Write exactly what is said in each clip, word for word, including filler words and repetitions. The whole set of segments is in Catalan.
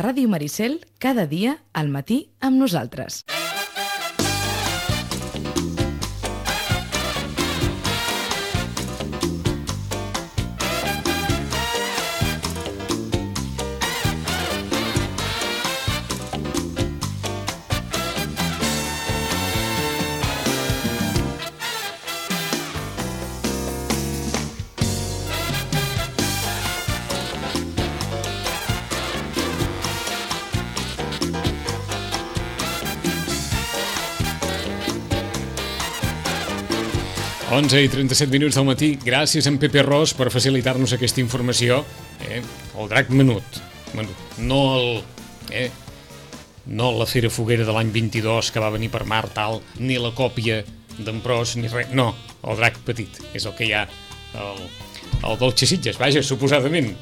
Ràdio Maricel, cada dia, al matí, amb nosaltres. onze i trenta-set minuts del matí. Gràcies a en Pepe Ros per facilitar-nos aquesta informació. Eh? El drac menut. menut. No el... Eh? No la Fera Foguera de l'any vint-i-dos que va venir per mar, tal, ni la còpia d'en Pros, ni res. No, el drac petit. És el que hi ha el, el Dolce Sitges. Vaja, suposadament.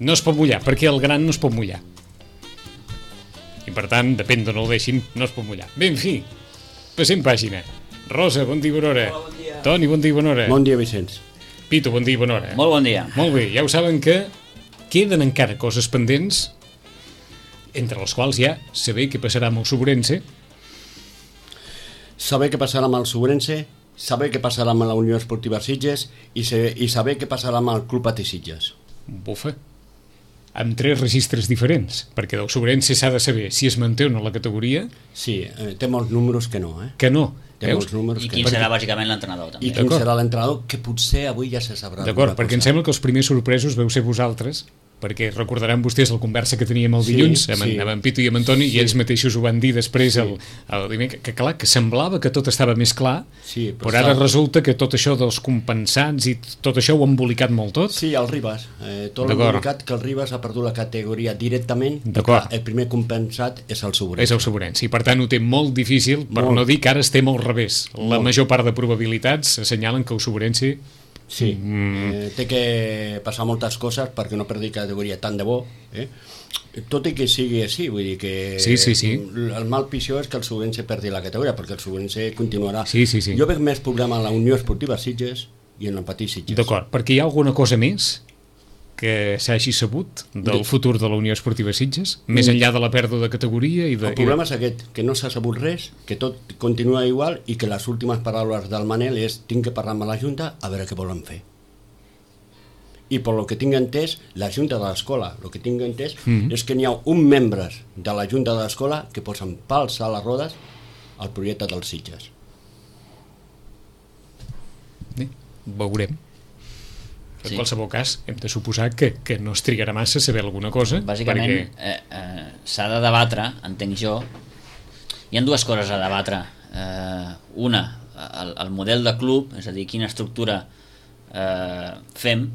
No es pot mullar, perquè el gran no es pot mullar. I per tant, depèn d'on el deixin, no es pot mullar. Bé, en fi, passem pàgina. Rosa, bon dia, bona hora. Hola, bon dia. Toni, bon dia, bona hora. Bon dia, Vicenç. Pito, bon dia, bona hora. Molt bon dia. Molt bé, ja ho saben que queden encara coses pendents, entre les quals ja saber què passarà amb el Sobrense. Saber què passarà amb el Sobrense, saber què passarà amb la Unió Esportiva Sitges i, se, i saber què passarà amb el Club Patí Sitges. Bufa. Amb tres registres diferents, perquè del Sobrense s'ha de saber si es manté o no la categoria. Sí, eh, té molts números que no, eh? Que no. Té molts números I que quin no. serà bàsicament l'entrenador, també. I quin serà l'entrenador, que potser avui ja se sabrà. D'acord, perquè em sembla que els primers sorpresos veu ser vosaltres, perquè recordaran vostès la conversa que teníem el dilluns sí, amb, sí. amb en Pito i amb en Toni, sí. I ells mateixos ho van dir després, sí. el, el dimecres, que clar, que semblava que tot estava més clar, sí, però, però ara està... resulta que tot això dels compensats i tot això ho ha embolicat molt tot. Sí, el Ribas, eh, tot l'embolicat que el Ribas ha perdut la categoria directament, el primer compensat és el Sobrense. És el Sobrense, i per tant ho té molt difícil, per molt. No dir que ara estem al revés. La molt. Major part de probabilitats assenyalen que el Sobrense sí, mm. eh, té que passar moltes coses perquè no perdi categoria tant de bo, eh? Tot i que sigui així, vull dir que sí, sí, sí. el mal pitjor és que el Sobrense perdi la categoria, perquè el Sobrense continuarà. Sí, sí, sí. Jo veig més problema en la Unió Esportiva Sitges i en el Patí Sitges. D'acord, perquè hi ha alguna cosa més que s'hagi sabut del sí. futur de la Unió Esportiva Sitges, més enllà de la pèrdua de categoria i de... El problema és aquest, que no s'ha sabut res, que tot continua igual i que les últimes paraules del Manel és tinc que parlar amb la Junta a veure què volen fer. I per lo que tinc entès, la Junta de l'Escola, el que tinc entès mm-hmm. és que n'hi ha un membre de la Junta de l'Escola que posen pals a les rodes al projecte dels Sitges. Bé, veurem. En sí. qualsevol cas, hem de suposar que, que no es trigarà massa a saber alguna cosa. Bàsicament, perquè... eh, eh, s'ha de debatre, entenc jo, hi ha dues coses a debatre. Eh, una, el, el model de club, és a dir, quina estructura eh, fem,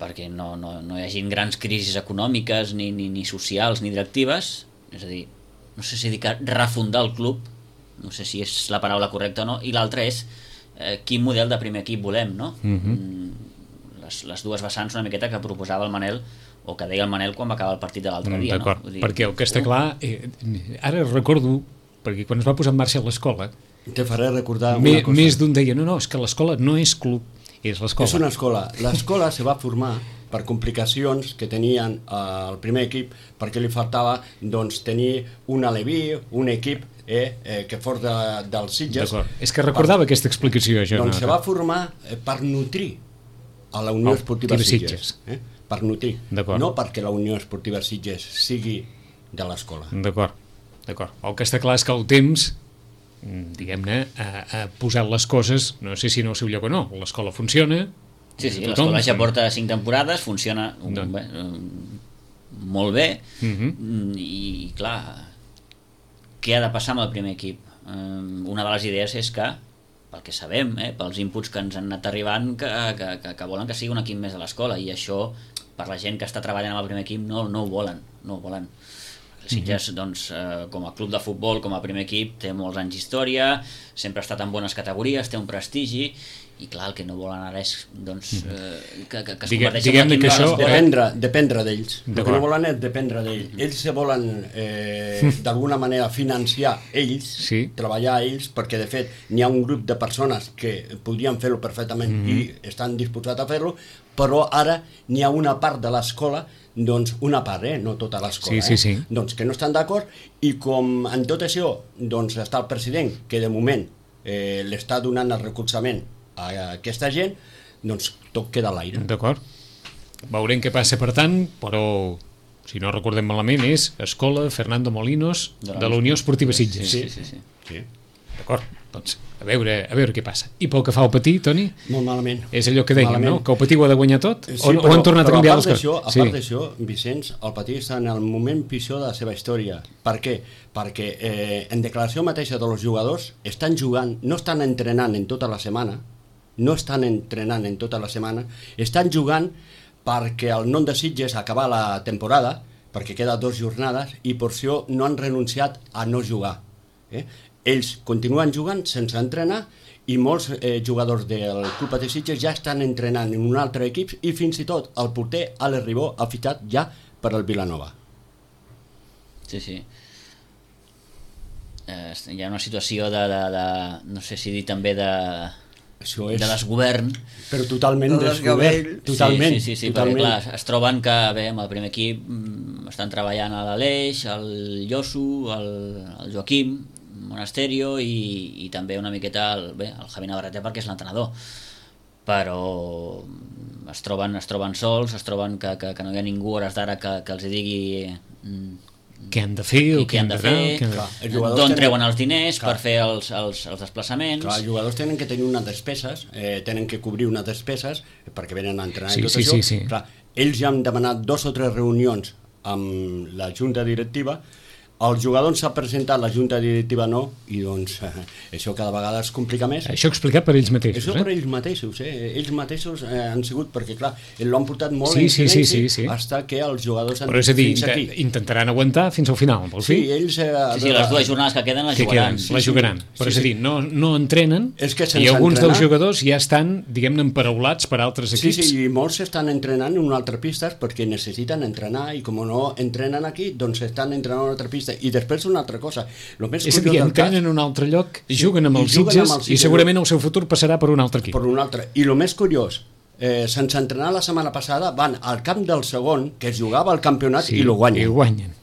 perquè no, no, no hi hagi grans crisis econòmiques, ni, ni, ni socials, ni directives, és a dir, no sé si dir que refundar el club, no sé si és la paraula correcta o no, i l'altra és eh, quin model de primer equip volem, no? Mm-hmm. Mm, Les, les dues vessants una miqueta que proposava el Manel o que deia el Manel quan va acabar el partit de l'altre dia. D'acord, no? Dir, perquè el que està clar eh, ara recordo, perquè quan es va posar en marxa l'escola te faré recordar me, una cosa. Més d'un deia, no, no, és que l'escola no és club, és l'escola. És una escola. L'escola se va formar per complicacions que tenien eh, el primer equip, perquè li faltava doncs, tenir un aleví, un equip eh, eh, que fos de, dels Sitges. D'acord, és que recordava per... aquesta explicació jo. Doncs no, se va formar eh, per nutrir a la Unió oh, Esportiva Sitges, eh? Per nutrir, no perquè la Unió Esportiva Sitges sigui de l'escola. D'acord, d'acord. El que està clar és que el temps, diguem-ne, ha, ha posat les coses, no sé si no al seu lloc o no, l'escola funciona... Sí, sí, l'escola ja porta cinc temporades, funciona un, no. bé, un, molt bé, uh-huh. i clar, què ha de passar amb el primer equip? Una de les idees és que pel que sabem, eh, pels inputs que ens han anat arribant, que, que, que, que volen que sigui un equip més de l'escola, i això, per la gent que està treballant amb el primer equip, no, no ho volen, no ho volen. El Sitges, doncs, eh, com a club de futbol, com a primer equip, té molts anys d'història, sempre ha estat en bones categories, té un prestigi, i clar, el que no volen ara és doncs, eh, que, que, que es Digue, converteixi diguem-ne en que l'equip això... de les- Dependre, dependre d'ells. El que D'acord. no volen és dependre d'ells. Ells se volen eh, d'alguna manera financiar ells, Sí. treballar ells, perquè de fet n'hi ha un grup de persones que podrien fer-ho perfectament mm -hmm. i estan disposats a fer-lo, però ara n'hi ha una part de l'escola, doncs una part, eh? No tota l'escola, Sí, sí, sí. eh? Doncs que no estan d'acord, i com en tot això doncs està el president, que de moment eh, l'està donant el recolzament a aquesta gent, doncs tot queda a l'aire. D'acord. Veurem què passa, per tant, però, si no recordem malament, és Escola Fernando Molinos de la Unió Esportiva Sitges. Sí, sí, sí. Sí. D'acord, doncs a veure, a veure què passa. I pel que fa al Patí, Toni, Molt malament. és allò que dèiem, Malament. no? Que el Patí ho ha de guanyar tot? Sí, o, però, o han tornat a però canviar part les d'això, coses? a part d'això, Vicenç, el Patí està en el moment pitjor de la seva història. Per què? Perquè eh, en declaració mateixa dels jugadors estan jugant, no estan entrenant en tota la setmana, no estan entrenant en tota la setmana, estan jugant perquè el nom de Sitges acabar la temporada, perquè queda dues jornades, i per això no han renunciat a no jugar. Eh? Ells continuen jugant sense entrenar, i molts eh, jugadors del Club Patí Sitges ja estan entrenant en un altre equip, i fins i tot el porter Alex Ribó ha fitxat ja per al Vilanova. Sí, sí. Eh, hi ha una situació de, de, de no sé si dir també de, Això és... de desgovern. Però totalment El descobert. desgavell. Totalment. Sí, sí, sí, sí, totalment. perquè clar, es troben que bé, amb el primer equip mm, estan treballant a l'Aleix, el Lloso, el, el Joaquim Monasterio i, i també una miqueta el, bé, el Javi Navarrete, perquè és l'entrenador, però es troben, es troben sols, es troben que, que, que no hi ha ningú a hores d'ara que, que els hi digui mm, Què han de fer o què han de fer, què han de... Clar, els jugadors d'on tenen- treuen els diners Clar. per fer els, els, els desplaçaments. Clar, els jugadors tenen que tenir unes despeses, eh, tenen que cobrir unes despeses perquè venen a entrenar Sí, i tot sí, això. sí, sí. Clar, ells ja han demanat dos o tres reunions amb la junta directiva, els jugadors s'ha presentat, la junta directiva no, i doncs eh, això cada vegada es complica més. Això explicat per ells mateixos, Això eh? per ells mateixos, eh? Ells mateixos eh, han sigut, perquè clar, l'han portat molt Sí, en sí, sí, silenci, sí, sí. hasta que els jugadors han Però és a dir, fins aquí. inte- intentaran aguantar fins al final, vols Sí, dir? ells... Eh, Sí, sí, les dues jornades que queden les Que jugaran. queden, la jugaran. Però és a dir, no, no entrenen És que sense i alguns entrenar- dels jugadors ja estan, diguem-ne, emparaulats per altres Sí, equips. sí, i molts estan entrenant en una altra pista perquè necessiten entrenar, i com no entrenen aquí, doncs estan entrenant en una altra pista. I després una altra cosa, el més És a dir, curiós del cas, entrenen en un altre lloc, juguen amb i els juguen Sitges amb els i Sitges. segurament el seu futur passarà per un altre equip. per un altre. I el més curiós, eh, sense entrenar la setmana passada, van al camp del segon, que es jugava al campionat, Sí, i lo guanyen. I ho guanyen.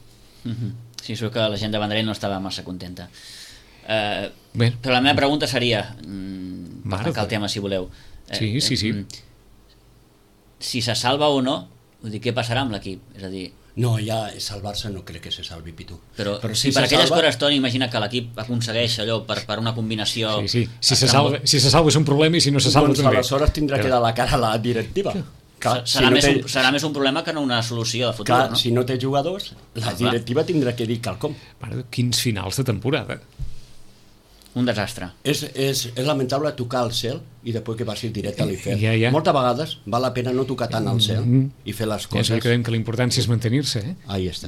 Mhm. Sí, sóc que la gent de Vendrell no estava massa contenta. Eh, Bé. però la meva pregunta seria, mm, per Mare tancar el de- tema si voleu, eh, Sí, sí, sí. mm, si se salva o no, vull dir, què passarà amb l'equip? És a dir, No, ja salvar-se no crec que se salvi, Pitu. però, però si si per se aquelles salva- coses, Toni, imagina que l'equip aconsegueix allò per, per una combinació... Sí, sí. Si se salva, si se salva és un problema i si no se salva doncs també. aleshores tindrà que Però- dar la cara a la directiva. Clar, serà, si no més té, un, serà més un problema que no una solució de futur, clar, no? si no té jugadors, la Ah, clar. directiva tindrà que dir quelcom. Mare, quins finals de temporada. Un desastre. És, és, és lamentable tocar al cel i després que passi directe a l'infern. Ja, ja. Moltes vegades val la pena no tocar tant al cel Mm. i fer les Ja coses. sabem que dèiem que la importància és mantenir-se, eh? Ahí està.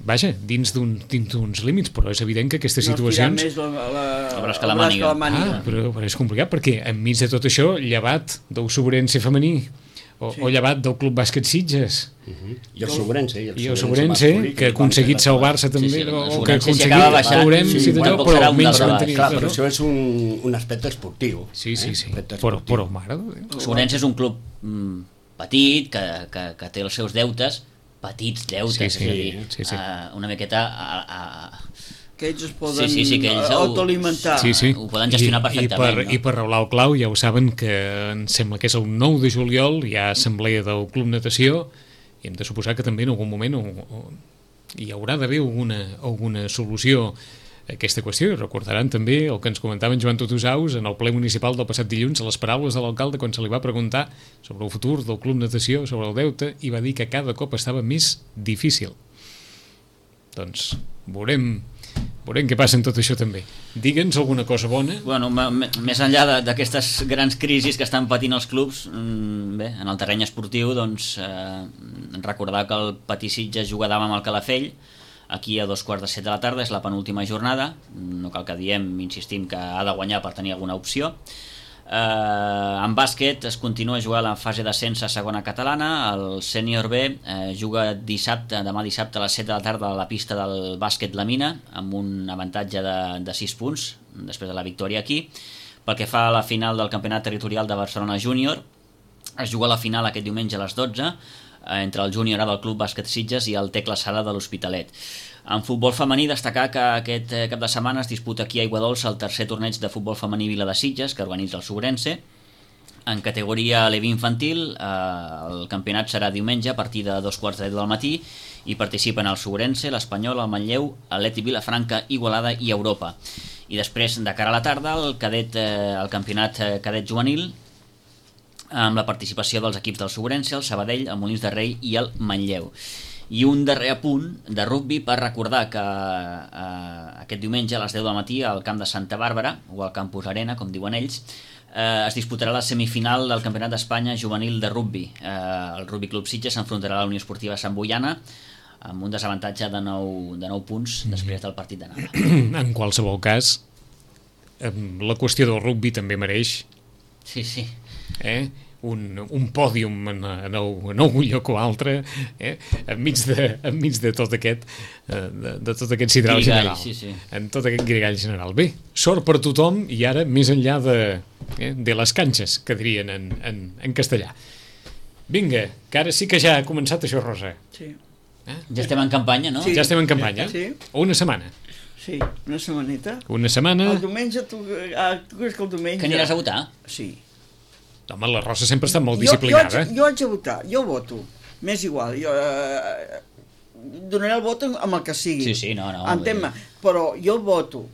Vaja, dins d'un- dins d'uns límits, però és evident que aquestes No estirar situacions... més la, la, El braç que el la braç màniga. que la màniga. Ah, però, però és complicat perquè enmig de tot això, llevat del Sobrense femení o, Sí. o llevat del Club Bàsquet Sitges Uh -huh. I el Sobrense. i el Sobrense, que ha aconseguit salvar-se també, Sí, sí, el o que ha Sobrense, si aconseguit, acaba baixant, veurem sí, si d'allò, tampoc però serà un almenys del mantenir Clar, no? però això és un, un aspecte esportiu. Sí, sí, eh? sí, Aspecte però, esportiu. però mare de Déu. El Sobrense és un club mm, petit, que, que, que té els seus deutes, petits deutes, Sí, sí, és a dir, sí, sí. Uh, una miqueta a, a, Que ells es poden Sí, sí, sí, que ells ho- autoalimentar. Sí, sí. ho poden gestionar I, perfectament, I per, no? I per raular el clau, ja ho saben, que em sembla que és el nou de juliol, hi ha assemblea del Club Natació, i hem de suposar que també en algun moment o, o, hi haurà d'haver alguna, alguna solució a aquesta qüestió. I recordaran també el que ens comentava en Joan Tutusaus en el ple municipal del passat dilluns, a les paraules de l'alcalde quan se li va preguntar sobre el futur del Club Natació, sobre el deute, i va dir que cada cop estava més difícil. Doncs veurem, veurem què passa en tot això també. Digue'ns alguna cosa bona. Bueno, m- m- més enllà de- d'aquestes grans crisis que estan patint els clubs, mm, bé, en el terreny esportiu, doncs, eh, recordar que el Patí Sitges juga demà amb el Calafell, aquí a dos quarts de set de la tarda, és la penúltima jornada, no cal que diem, insistim, que ha de guanyar per tenir alguna opció. Eh, en bàsquet es continua jugant la fase d'ascens a segona catalana. El sènior B eh, juga dissabte, demà dissabte a les set de la tarda a la pista del bàsquet La Mina, amb un avantatge de, de sis punts després de la victòria aquí. Pel que fa a la final del campionat territorial de Barcelona Júnior, es juga la final aquest diumenge a les dotze eh, entre el Júnior A del Club Bàsquet Sitges i el Tecla Sala de l'Hospitalet. En futbol femení, destacar que aquest cap de setmana es disputa aquí a Aiguadols el tercer torneig de futbol femení Vila de Sitges, que organitza el Sobrense. En categoria Levi infantil, eh, el campionat serà diumenge a partir de dos quarts de deu del matí i participen el Sobrense, l'Espanyol, el Manlleu, l'Atlètic Vilafranca, Igualada i Europa. I després, de cara a la tarda, el, cadet, eh, el campionat cadet juvenil, amb la participació dels equips del Sobrense, el Sabadell, el Molins de Rei i el Manlleu. I un darrer apunt de rugbi per recordar que eh, aquest diumenge a les deu del matí al camp de Santa Bàrbara, o al Campus Arena, com diuen ells, eh, es disputarà la semifinal del Campionat d'Espanya juvenil de rugbi. Eh, el Rugbi Club Sitges s'enfrontarà a la Unió Esportiva Sant Boiana amb un desavantatge de nou, de nou punts després del partit d'anada. En qualsevol cas, la qüestió del rugbi també mereix Sí, sí. eh? un, un pòdium en, en, el, en algun lloc o altre, eh? enmig, de, enmig de tot aquest de, de tot aquest sidral Grigall, general, sí, sí. en tot aquest grigall general. Bé, sort per tothom, i ara més enllà de, eh, de les canxes, que dirien en, en, en castellà. Vinga, que ara sí que ja ha començat això, Rosa. Sí. Eh? Ja estem en campanya, no? Sí. Ja estem en campanya? Sí. Una setmana. Sí, una setmaneta. Una setmana... El diumenge, tu, ah, tu creus que el diumenge... Que aniràs a votar? Sí. Home, la Rosa sempre està molt Jo, disciplinada. jo, jo haig de votar, jo voto. M'és igual, jo eh, donaré el vot amb el que sigui. Sí, sí, no, no. Entén-me, però jo voto.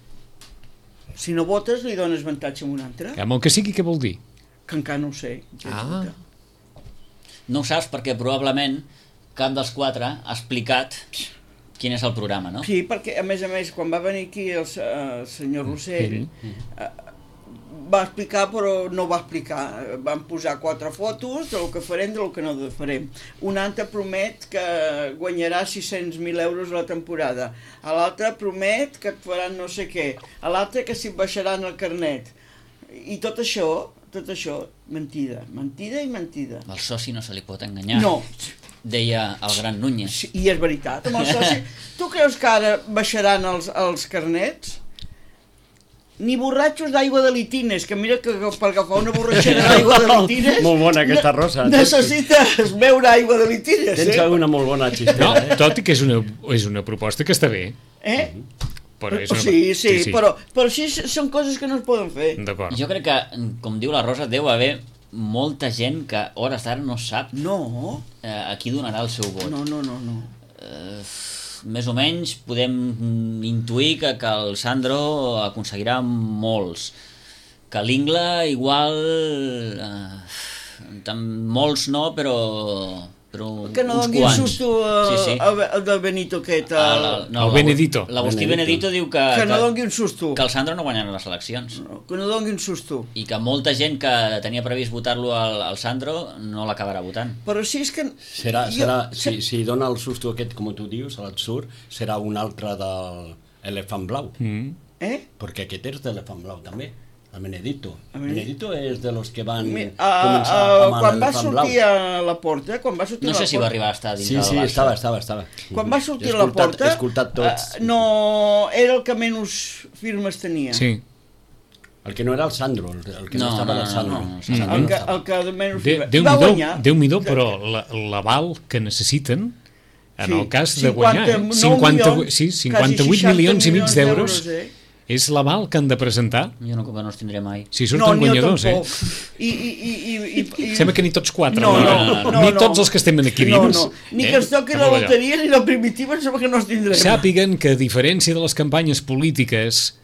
Si no votes, li dones avantatge a un altre. Que amb el que sigui, què vol dir? Que encara no ho sé. Jo haig de Ah. votar. No ho saps perquè probablement cap dels quatre ha explicat quin és el programa, no? Sí, perquè a més a més, quan va venir aquí el, eh, el senyor Rossell, eh, va explicar però no va explicar. Van posar quatre fotos del que farem, del que no farem. Un altre promet que guanyarà sis-cents mil euros a la temporada. A l'altre promet que et faran no sé què. A l'altre que s'hi baixaran el carnet. I tot això, tot això, mentida. Mentida i mentida. Al soci no se li pot enganyar. No. Deia el gran Núñez. Sí, i és veritat. Amb el soci, tu creus que ara baixaran els, els carnets? Ni borratxos d'aigua de litines, que mira que per agafar una borratxera d'aigua de litines... Molt bona aquesta, Rosa. Necessites beure aigua de litines, Tens eh? una molt bona No, xistera, eh? tot i que és una, és una proposta que està bé. Eh? Però és una... Sí, sí, però, però sí, són coses que no es poden fer. D'acord. Jo crec que, com diu la Rosa, deu haver molta gent que a hores d'ara no sap No, eh, a qui donarà el seu vot. no, no, no, no. Eh, més o menys podem intuir que, que el Sandro aconseguirà molts, que l'Ingla igual eh, tant, molts no, però, però Que no uns doni quants. susto a, sí, sí. a, a de Benito aquest. Ah, A, la- El Benedito. L'Agustí Benedito. Benedito diu que, que no que, doni un susto. que el Sandro no guanyarà les eleccions No, que no doni un susto. i que molta gent que tenia previst votar-lo al, al Sandro no l'acabarà votant. Però si és que... Serà, jo- serà, si, si dona el susto aquest, com tu dius, a l'atsur, serà un altre del elefant blau. Mm. Eh? Perquè aquest és d'elefant blau, també. El Benedito. El El Benedito és de los que van Mi- a, començar a, amb quan va l'elefant blau. sortir a la porta, quan va sortir No a la sé si va porta, arribar a estar dins Sí, del sí, Barça. estava, estava, estava. quan va sortir He a la escoltat- porta, He escoltat tots. eh, no era el que menys firmes tenia. Sí. El que no era el Sandro, el, el que no, No, estava no, era el no, Sandro. no, no, no. Sandro El no que, estava. el que menys De, firmes. déu I va nhi guanyar. déu nhi però la- l'aval que necessiten en Sí, el cas de guanyar, eh? cinquanta-nou cinquanta, milions, sí, quasi cinquanta-vuit seixanta milions i mig d'euros eh? és l'aval que han de presentar Jo no, no els tindré mai. si surten ni jo guanyadors, eh? tampoc. I, i, i, i, i, i... Sembla que ni tots quatre, No, no, no, no, ni no. tots els que estem aquí No, dins. no. Ni eh? que ens toqui la Amb allò. loteria ni la primitiva, em sembla que no els tindrem. Sàpiguen que, a diferència de les campanyes polítiques,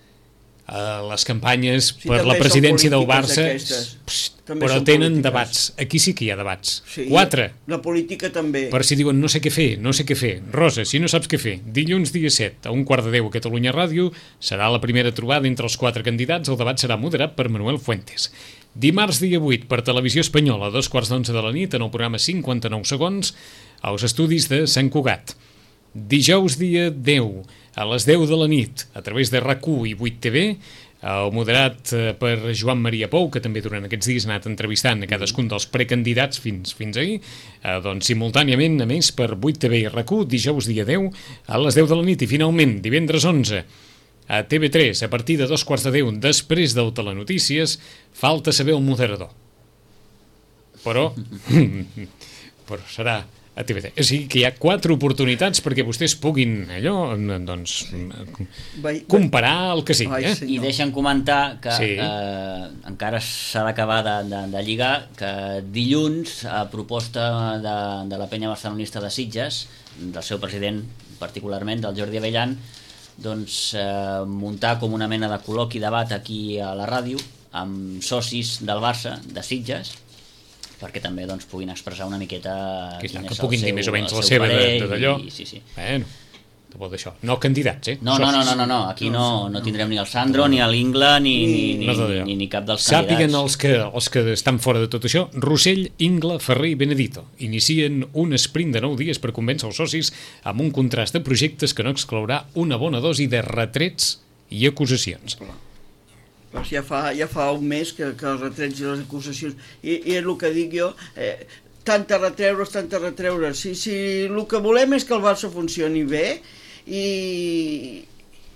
eh, les campanyes Sí, per també la són presidència del polítiques Barça, aquestes. pst, També però són tenen polítiques. debats. Aquí sí que hi ha debats. Sí, Quatre. La política també. Per si diuen no sé què fer, no sé què fer. Rosa, si no saps què fer, dilluns dia set, a un quart de deu a Catalunya Ràdio, serà la primera trobada entre els quatre candidats. El debat serà moderat per Manuel Fuentes. Dimarts dia vuit, per Televisió Espanyola, a dos quarts d'onze de la nit, en el programa cinquanta-nou segons, als estudis de Sant Cugat. Dijous dia deu, a les deu de la nit, a través de RAC u i vuit T V, el moderat per Joan Maria Pou, que també durant aquests dies ha anat entrevistant a cadascun dels precandidats fins, fins ahir, eh, doncs simultàniament, a més, per vuit T V i R Q, dijous dia deu, a les deu de la nit, i finalment, divendres onze, a T V tres, a partir de dos quarts de deu, després del Telenotícies, falta saber el moderador. Però, però serà a T V tres. O sigui que hi ha quatre oportunitats perquè vostès puguin allò, doncs, comparar el que sigui. Eh? I deixen comentar que sí. eh, encara s'ha d'acabar de, de, de lligar, que dilluns, a proposta de, de la penya barcelonista de Sitges, del seu president particularment, del Jordi Avellan, doncs eh, muntar com una mena de col·loqui debat aquí a la ràdio amb socis del Barça, de Sitges, perquè també doncs, puguin expressar una miqueta que, quin que és puguin el dir seu, més o menys el la seu seva parer d'allò. I, sí, sí. Bueno, de bo d'això. No candidats, eh? No, no, no, no, no, no. Aquí no, no tindrem ni el Sandro, ni l'Ingla, ni, ni, no ni, ni, ni cap dels Sàpiguen candidats. els que, els que estan fora de tot això, Rossell, Ingla, Ferrer i Benedito inicien un sprint de nou dies per convèncer els socis amb un contrast de projectes que no exclourà una bona dosi de retrets i acusacions. Doncs ja fa, ja fa un mes que, que els retrets i les acusacions, i, i és el que dic jo, eh, tanta retreure's, tanta retreure's. Si, si el que volem és que el Barça funcioni bé i...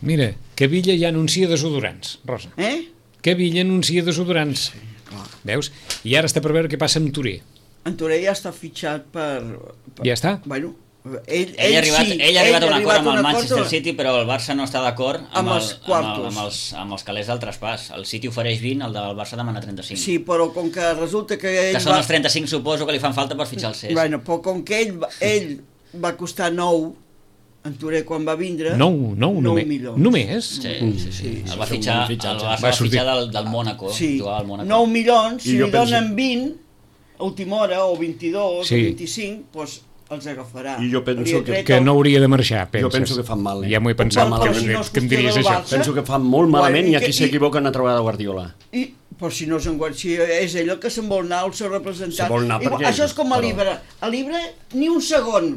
Mira, que Villa ja anuncia desodorants, Rosa. Eh? Que Villa anuncia desodorants. Sí, clar. Veus? I ara està per veure què passa amb Touré. En Touré ja està fitxat per... per... Ja està? Bueno, ell, ell, Ell ha arribat, sí, ell ha arribat a un acord amb el un Manchester acord, City, però el Barça no està d'acord amb, Amb el, els amb, el, quartos. amb, els, amb els calés del traspàs. El City ofereix vint, el del Barça demana trenta-cinc. Sí, però com que resulta que ell Que són va... els trenta-cinc, suposo, que li fan falta per fitxar el C E S. Bueno, però com que ell, va- ell va costar nou, en Touré quan va vindre... Nou, nou, nou només. milions. Només? Sí, sí, sí. El va és un fitxar, bon fitxatge. el Barça Va va sortir. fitxar del, del Mónaco, Sí, jugava al Mónaco. nou milions, I si jo li penso- donen vint, a última hora, o vint-i-dos, Sí. o vint-i-cinc, doncs els agafarà. I jo penso Li ha que- tret Que el- no hauria de marxar, penses? Jo penso que fan mal, eh? Ja m'ho he pensat, Però que, si no és que em diries qüestió del això. Barça, Penso que fan molt malament Bueno, i i aquí que- s'equivoquen a trobar de Guardiola. I, però si no se'n guarda, si és ell el que se'n vol anar, el seu representant. Se vol anar I, perquè- això és com a però- Libre. A Libre, ni un segon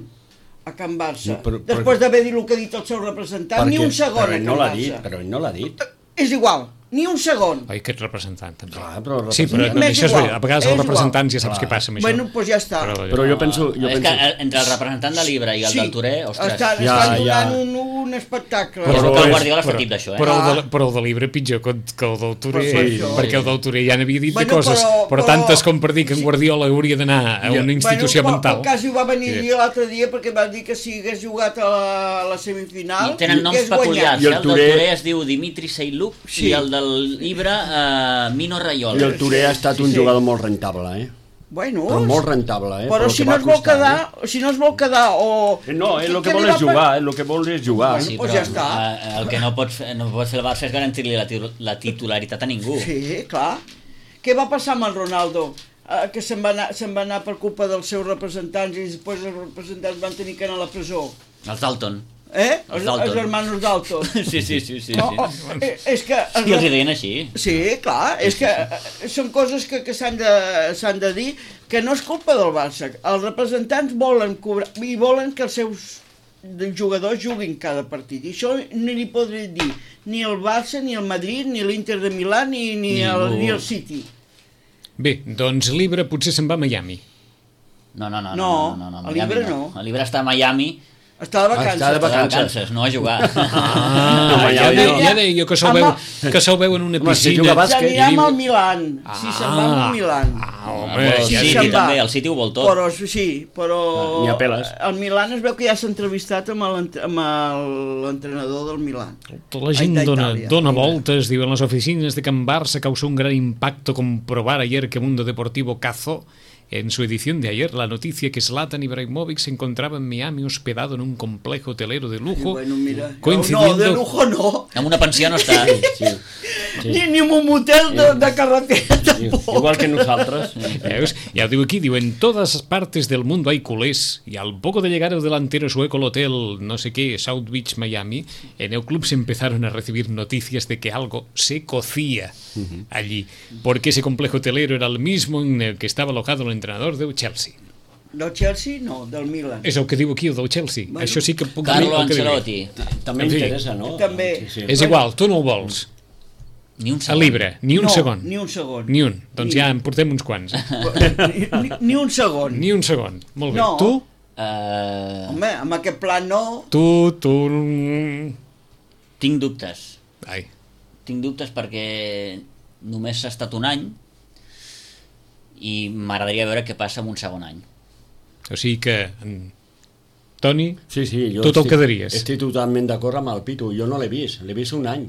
a Can Barça. No, però- però- Després d'haver dit el que ha dit el seu representant, ni Perquè- un segon però a ell Can no l'ha Barça. dit, però ell no l'ha dit. És igual, ni un segon. Oi, aquest representant, també. Clar, però el Sí, però representant- no, M'és això és igual, veritat. A vegades és els igual. representants ja saps Clar. què passa amb això. Bueno, doncs ja està. Però, Però jo penso... Jo és penso... que entre el representant de Libra i el Sí, del Touré, ostres... estan, Ja, estan ja. donant un, un espectacle. Però- Però, que el és- Guardiola fa però- tip d'això, eh? Però, el Ah. de, però el de Libre pitjor que, que el del Touré, Pues per això. perquè el del Touré ja n'havia dit Bueno, de coses, però- però, però- tantes com per dir que en Guardiola hauria d'anar a una institució bueno, mental. Bueno, quasi ho va venir Sí. a dir l'altre dia perquè va dir que si hagués jugat a la, a la semifinal I tenen noms hagués guanyat. peculiars, I eh? el El del Touré- Touré es diu Dimitri Seiluk Sí. i el del Libra eh, Mino Raiola. I el Touré ha estat un Sí, sí. jugador molt rentable, eh? Bueno, Però molt rentable, eh? però Pel si que no va es vol costar, quedar, si no es vol quedar o... eh? No, ell el Què que li vol va és per- jugar, ell el que vol és jugar. Sí, Doncs però ja està. eh, el que no pot, fer, no pot fer el Barça és garantir-li la, tiu- la titularitat a ningú. Sí, clar. Què va passar amb el Ronaldo? Eh, que se'n va, anar, se'n va anar per culpa dels seus representants i després els representants van tenir que anar a la presó. Els Dalton. Eh? Els Els, Dalton. els hermanos Dalton. Sí, sí, sí, sí. No, sí. oh, eh, és que... I els hi deien així. Sí, clar, és que eh, són coses que, que s'han de, s'han de dir, que no és culpa del Barça. Els representants volen cobrar i volen que els seus jugadors juguin cada partit. I això no li podré dir ni el Barça, ni el Madrid, ni l'Inter de Milà, ni, ni, el, Ningú. ni el City. Bé, doncs Libre potser se'n va a Miami. No, no, no. No, no, no, no, el Miami Libra no. El Libra està a Miami, Està de vacances. Està de està de vacances. vacances, no a jugar. Ah, Home, ja, ja deia, no. ja deia jo que se'l veu, que se'l veu en una Home, si piscina. juga a bàsquet, S'anirà i diu- amb el Milan. Si se'n va amb el Milan. Ah, home, Però el sí, ja City se'n va. també, el City ho vol tot. Però sí, però... Ni a peles. El Milan es veu que ja s'ha entrevistat amb l'ent- amb el- l'entrenador del Milan. Tota la gent Ai, dona, d'Itàlia. dona voltes, diu, en las oficinas de Can Barça causó un gran impacto comprobar ayer que Mundo Deportivo cazó en su edición de ayer la noticia que Zlatan Ibrahimovic se encontraba en Miami hospedado en un complejo hotelero de I lujo, bueno, mira, coincidiendo... no, de lujo no. En una pensió no està. Sí, sí. Ni, ni en un motel de, de carretera Sí, tampoc. igual que nosaltres. Veus? Ya digo aquí, digo, en todas partes del mundo hay culés y al poco de llegar el delantero sueco al hotel, no sé qué, South Beach, Miami, en el club se empezaron a recibir noticias de que algo se cocía allí, porque ese complejo hotelero era el mismo en el que estaba alojado el entrenador del Chelsea. Del Chelsea no, del Milan. És el que diu aquí, el del Chelsea. Bueno. Això sí que puc Carlo dir el que diu. Ancelotti. També En fi. interessa, no? També. Sí, sí. És igual, tu no ho vols. Ni un a segon. Libre, ni un no, segon. ni un segon. Ni un. Doncs Ni- ja en portem uns quants. Ni, ni, ni un segon. Ni un segon. Molt bé. No. Tu? Uh, Home, amb aquest pla no... Tu, tu... tinc dubtes. Ai, Tinc dubtes perquè només ha estat un any i m'agradaria veure què passa en un segon any. o sigui que... En... Toni, Sí, sí, jo tu te'l estic, quedaries. estic totalment d'acord amb el Pitu. Jo no l'he vist, l'he vist un any.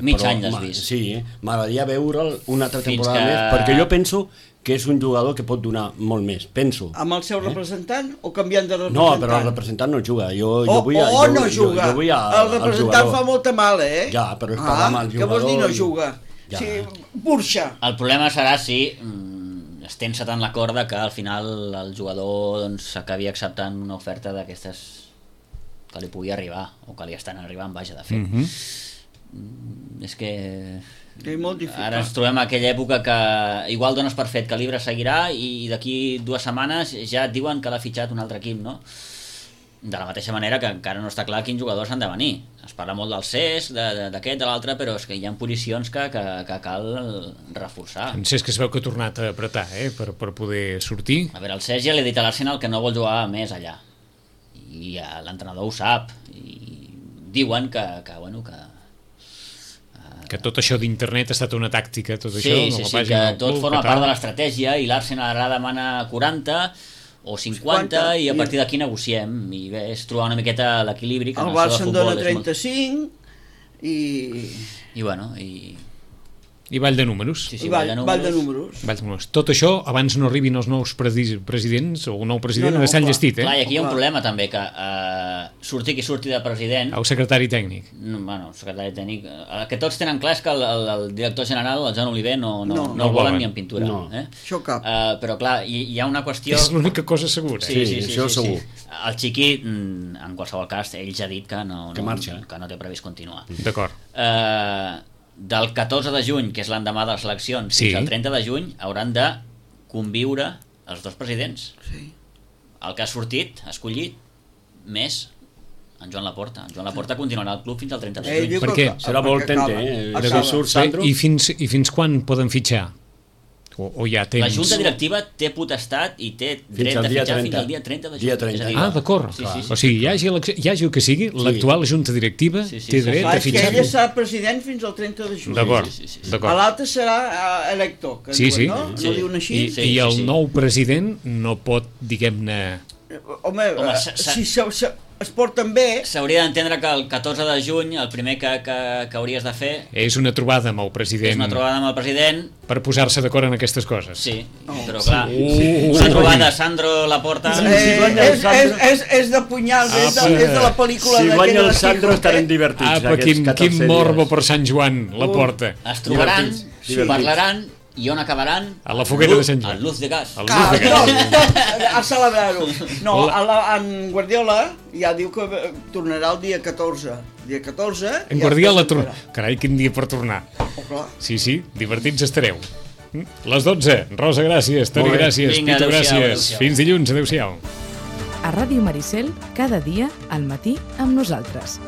Mig Però, any l'has ma- vist. Sí, eh? m'agradaria veure'l una altra Fins temporada que- més, perquè jo penso que és un jugador que pot donar molt més, penso. Amb el seu representant o canviant de No, representant? però el representant no juga. Jo, O, jo vull, a, o jo, no jo, juga. Jo, vull a, el representant fa molta mal, eh? Ja, però és parlar amb el Què vols dir no jugador i- juga? Ja. Sí, burxa. El problema serà si mm, es tensa tant la corda que al final el jugador doncs, acabi acceptant una oferta d'aquestes que li pugui arribar o que li estan arribant, vaja, de fet. Mm -hmm. Mm, és que És molt difícil. ara ens trobem a aquella època que igual dones per fet que l'Ibre seguirà i d'aquí dues setmanes ja et diuen que l'ha fitxat un altre equip, no? De la mateixa manera que encara no està clar quins jugadors han de venir. Es parla molt del C E S, de- de- d'aquest, de l'altre, però és que hi ha posicions que, que, que cal reforçar. En Cesc es veu que ha tornat a apretar, eh? Per, per poder sortir. A veure, el Cesc ja li ha dit a l'Arsenal que no vol jugar més allà. I eh, l'entrenador ho sap. I diuen que, que bueno, que... Que tot això d'internet ha estat una tàctica, tot Sí, això. sí, la sí, pàgina que del tot club, forma que part tal. de l'estratègia i l'Arsenal ara demana quaranta o cinquanta, cinquanta, i a i- partir d'aquí negociem. I bé, és trobar una miqueta l'equilibri. que en El això de Barça en futbol dona és molt- trenta-cinc i... I bueno, i... I ball de números. Sí, sí, I ball, ball de ball de números. números. Ball de números. Tot això, abans no arribin els nous presi- presidents, o un nou president, No, no, no, no, s'han clar. llestit, eh? Clar, i aquí hi ha un Clar. problema també, que eh, surti qui surti de president, El secretari tècnic. no, bueno, secretari tècnic, eh, el que tots tenen clar és que el, el, el director general, el Joan Oliver, no, no, No. no, No el el volen volen. ni en pintura. No. Eh? Això cap. Uh, però clar, hi, hi ha una qüestió... És l'única cosa segura. Sí, sí, Sí, sí, això sí, segur. sí. El Xiqui, mm, en qualsevol cas, ell ja ha dit que no, Que no, marxa, eh? que no té previst continuar. D'acord. Uh, del catorze de juny, que és l'endemà de les eleccions, Sí. fins al trenta de juny, hauran de conviure els dos presidents. Sí. El que ha sortit, ha escollit, més en Joan Laporta. En Joan Laporta continuarà al club fins al trenta de Ell juny. diu Per que- què? Serà perquè molt tente, acaba. eh? Acaba. De surt Sandro. I fins, I fins quan poden fitxar? O, o hi ha temps? La Junta Directiva té potestat i té dret al de dia fitxar fins trenta. al dia trenta de juny. Dia trenta. És a dir, Ah, d'acord. Sí, sí, sí. O sigui, hi hagi, elecció- hi hagi el que sigui, l'actual Junta Directiva Sí, sí, té sí, dret Clar, a és que fitxar. ella serà president fins al trenta de juny. D'acord, Sí, sí, sí, sí. A d'acord. l'altre serà uh, elector, que Sí, diuen, sí. no? Sí. No diuen així? I, Sí, i sí, el sí. nou president no pot, diguem-ne... Home, Home, eh, sa- sa- si se, se, es porten bé, S'hauria d'entendre que el catorze de juny el primer que, que, que hauries de fer És una trobada amb el és president una trobada amb el president. per posar-se d'acord en aquestes coses. Sí, Oh. però clar, Sí. una trobada Sandro Laporta... Sí, eh, si guanya el és, és, Sandro- és, és de punyals, és, de, Apa. és de la pel·lícula Si d'aquella guanya el de Sandro Quijote. estarem divertits. Apa, aquests quin, catorze quin morbo dies. per Sant Joan, la porta. Es trobaran, Divertits, sí, divertits. parlaran i on acabaran? A la foguera de Sant Joan. Al Luz de Gas. El Ah, Luz de no, Gas. no, a celebrar-ho. No, La- a la, en Guardiola ja diu que eh, tornarà el dia catorze. Dia catorze... En ja Guardiola es torna. presentarà. Carai, quin dia per tornar. Oh, clar. Sí, sí, divertits estareu. Mm? Les dotze. Rosa, gràcies. Toni, Molt bé. gràcies. Vinga, Pitu, adéu-siau, gràcies. adéu-siau. Fins dilluns. Adéu-siau. A Ràdio Maricel, cada dia al matí amb nosaltres.